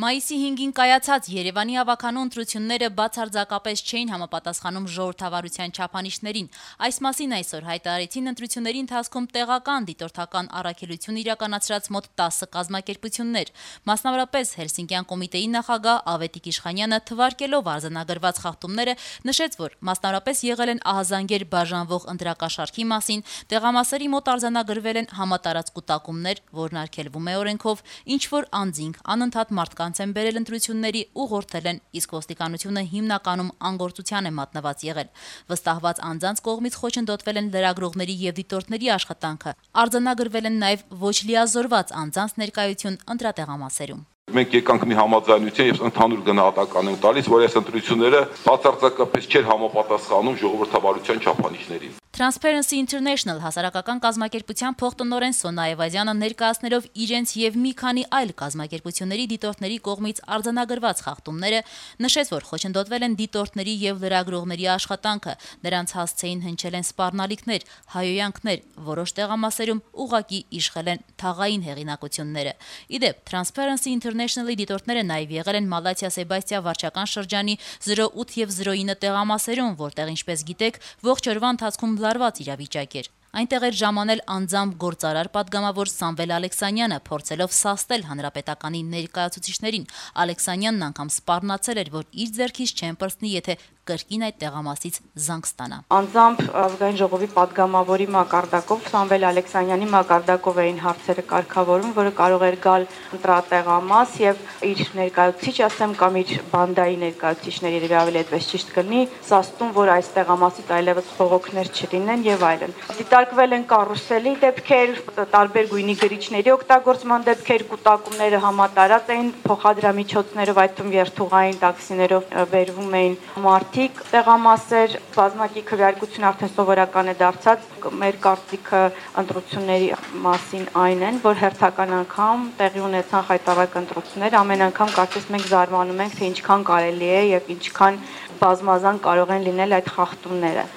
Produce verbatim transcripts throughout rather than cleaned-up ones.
Մայիսի հինգին կայացած Երևանի ավականու ընտրությունները բացարձակապես չէին համապատասխանում ժողովրդավարության չափանիշներին։ Այս մասին այսօր հայտարարեցին ընտրությունների ընթացքում տեղական դիտորդական առաքելություն իրականացրած մոտ տասը կազմակերպություններ։ Մասնավորապես Հելսինկյան կոմիտեի նախագահ Ավետիք Իշխանյանը թվարկելով արձանագրված խախտումները նշեց, որ մասնավորապես եղել են ահազանգեր բաժանվող ընտրակաշառքի մասին, տեղամասերի մոտ արձանագրվել են համատարած կուտակումներ, որն արգելվում է օրենքով, ինչ որ անձինք անընդհատ մարդկանց են բերել ընտրությունների ուղղորդել են, իսկ ոստիկանությունը հիմնականում անգործության է մատնված եղել։ Վստահված անձանց կողմից խոչընդոտվել են լրագրողների եւ դիտորդների աշխատանքը, արձանագրվել են նաեւ ոչ լիազորված անձանց ներկայություն ընտրատեղամասերում։ Մենք եկանք մի համաձայնության եւ ընդհանուր գնահատական ենք տալիս, որ այս ընտրությունները բացարձակապես չէր համապատասխանում ժողովրդավարության չափանիշներին։ Transparency International հասարակական կազմակերպության փոխտնօրեն Սոնա Այվազյանը ներկայացնելով իրենց եւ մի քանի այլ կազմակերպությունների դիտորդների կողմից արձանագրված խախտումները նշեց, որ խոչընդոտվել են դիտորդների եւ լրագրողների աշխատանքը, նրանց հասցեին հնչել են սպառնալիքներ, հայոյանքներ, որոշ տեղամասերում ուղակի իշխել են թաղային հեղինակությունները։ Իդեպ Transparency International-ի դիտորդները նաեւ եղել են Մալաթիա Սեբաստիա վարչական շրջանի զրո ութ եւ զրո ինը տեղամասերում, որտեղ ինչպես գիտեք, ողջ օրվա ընթացքում լարված իրավիճակ էր։ Այնտեղ էր ժամանել անձամբ գործարար падգամավոր Սամվել Ալեքսանյանը, փորձելով սաստել հանրապետականի ներկայացուցիչներին։ Ալեքսանյանն անգամ սպառնացել էր, որ իր ձեռքից չեն պրծնի, եթե կրկին այդ տեղամասից զանգ ստանա։ Անձամբ ազգային ժողովի падգամավորի մակարդակով Սամվել Ալեքսանյանի մակարդակով էին հարցերը կարգավորում, որը կարող էր գալ ընտրատեղամաս եւ իր ներկայացուցիչ, ասեմ, կամ իր բանդայի ներկայացուցիչների երևի ավելի այդպես ճիշտ կլինի, սաստում, որ այս տեղամասից այլևս խողոքներ չլինեն եւ այլն։ Դիտարկվել են կարուսելի դեպքեր, տարբեր գույնի գրիչների օգտագործման դեպքեր, կուտակումները համատարած էին, փոխադրամիջոցներով, այդ թվում երթուղային տաքսիներով բերվում էին մարդիկ, տեղամասեր, բազմակի քվեարկություն արդեն սովորական է դարձած։ Մեր կարծիքը ընտրությունների մասին այն են, որ հերթական անգամ տեղի ունեցան խայտառակ ընտրություններ, ամեն անգամ կարծես մենք զարմանում ենք, թե ինչքան կարելի է եւ ինչքան բազմազան կարող են լինել այդ խախտումները։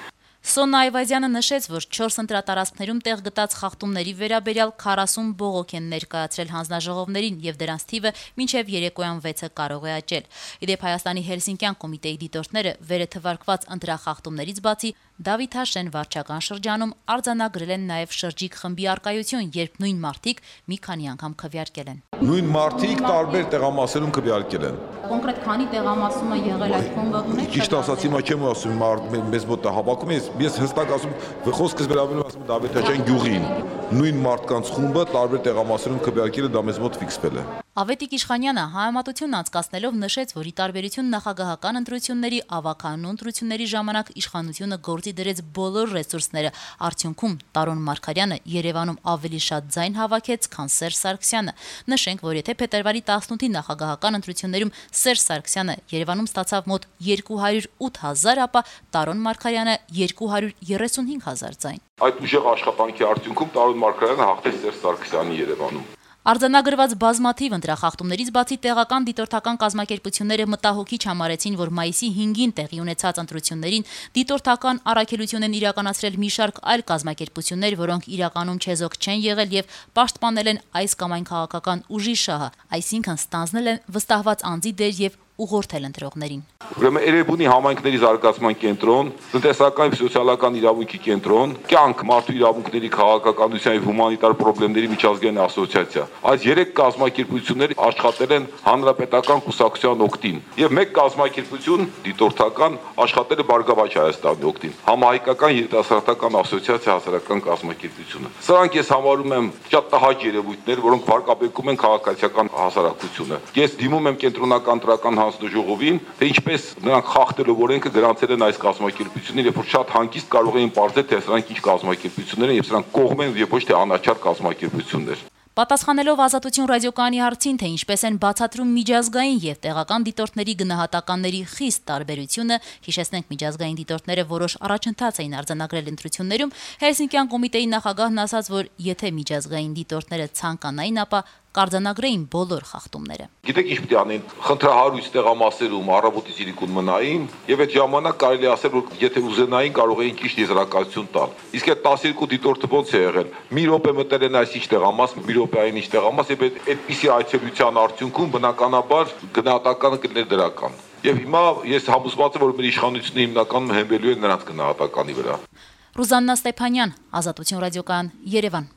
Սոնա Այվազյանը նշեց, որ չորս ընտրատարածքներում տեղ գտած խախտումների վերաբերյալ քառասուն բողոք են ներկայացրել հանձնաժողովներին եւ դրանց թիվը մինչեւ երեկոյան վեցը կարող է աճել։ Իդեպ Հայաստանի Հելսինկյան կոմիտեի դիտորդները վերը թվարկված ընտրախախտումներից բացի Դավիթ Հաշեն վարչական շրջանում արձանագրել են նաեւ շրջիկ խմբի արկայություն, երբ նույն մարդիկ մի քանի անգամ քվեարկել են։ Նույն մարդիկ տարբեր տեղամասերում քվեարկել են։ Կոնկրետ քանի տեղամասում է եղել այդ խումբը ունեք։ Ճիշտ ասած, հիմա չեմ ասում, մեզ մոտ հավաքում ես, ես հստակ ասում, խոսքս վերաբերում ասում Դավիթ Հաշեն գյուղին։ Նույն մարդկանց խումբը տարբեր տեղամասերում քվեարկել է, դա մեզ մոտ ֆիքսվել է։ Ավետիք Իշխանյանը հայամատություն անցկացնելով նշեց, որ ի տարբերություն նախագահական ընտրությունների ավականու ընտրությունների ժամանակ իշխանությունը գործի դրեց բոլոր ռեսուրսները, արդյունքում Տարոն Մարգարյանը Երևանում ավելի շատ ձայն հավաքեց, քան Սերժ Սարգսյանը։ Նշենք, որ եթե փետրվարի տասնութի նախագահական ընտրություններում Սերժ Սարգսյանը Երևանում ստացավ մոտ երկու հարյուր ութ հազար, ապա Տարոն Մարգարյանը երկու հարյուր երեսունհինգ հազար ձայն։ Այդ ուժեղ աշխատանքի արդյունքում Տարոն Մարգարյանը հաղթեց Սերժ Սարգսյանի Երևանում։ Արձանագրված բազմաթիվ ընտրախախտումներից բացի տեղական դիտորդական կազմակերպությունները մտահոգիչ համարեցին, որ մայիսի հինգին տեղի ունեցած ընտրություններին դիտորդական առաքելություն են իրականացրել մի շարք այլ կազմակերպություններ, որոնք իրականում չեզոք չեն եղել եւ պաշտպանել են այս կամ այն քաղաքական ուժի շահը, այսինքն ստանձնել են վստահված անձի դեր եւ ուղղորդել ընտրողներին։ Ուրեմն Էրեբունի համայնքների զարգացման կենտրոն, տնտեսական եւ սոցիալական իրավունքի կենտրոն, կյանք, մարդու իրավունքների, քաղաքականության եւ հումանիտար խնդիրների միջազգային ասոցիացիա։ Այս երեք կազմակերպությունները աշխատել են հանրապետական կուսակցության օգտին եւ մեկ կազմակերպություն դիտորդական աշխատել է Բարգավաճ Հայաստանի օգտին։ Համահայկական երիտասարդական ասոցիացիա հասարակական կազմակերպությունը։ Սրանք ես համարում եմ շատ տհաճ երևույթներ, որոնք վարկաբեկում են քաղաքացիական հասարակությունը։ Ես դիմում եմ կենտրոնական տրական հանձնաժողովին, թե ինչպես նրանք խախտելով օրենքը գրանցել են այս կազմակերպությունները, երբ որ շատ հանգիստ կարող էին պարզել, թե սրանք ինչ կազմակերպություններ են եւ սրանք կողմ են եւ ոչ թե անաչառ կազմակերպություններ։ Պատասխանելով Ազատություն ռադիոկայանի հարցին, թե ինչպես են բացատրում միջազգային եւ տեղական դիտորդների գնահատականների խիստ տարբերությունը, հիշեցնենք միջազգային դիտորդները որոշ առաջընթաց էին արձանագրել ընտրություններում, Հելսինկյան կոմիտեի նախագահն ասաց, որ եթե միջազգային դիտորդները ցանկանային, ապա կարձանագրեին բոլոր խախտումները։ Գիտեք ինչ պետք է անեն, խնդրահարույց տեղամասերում առավոտից իրիկուն մնային, եւ այդ ժամանակ կարելի ասել, որ եթե ուզենային, կարող էին ճիշտ եզրակացություն տալ։ Իսկ այդ տասներկու դիտորդը ոնց է եղել։ Մի րոպե մտել են այսինչ տեղամաս, մի րոպե այնինչ տեղամաս, եւ այդպիսի այցելության արդյունքում բնականաբար գնահատականը կլիներ դրական։ Եվ հիմա ես համոզված եմ, որ մեր իշխանությունը հիմնականում հենվելու է նրանց գնահատականի վրա։ Ռուզաննա Ստեփանյան, Ազատություն ռադիոկայան, Երևան։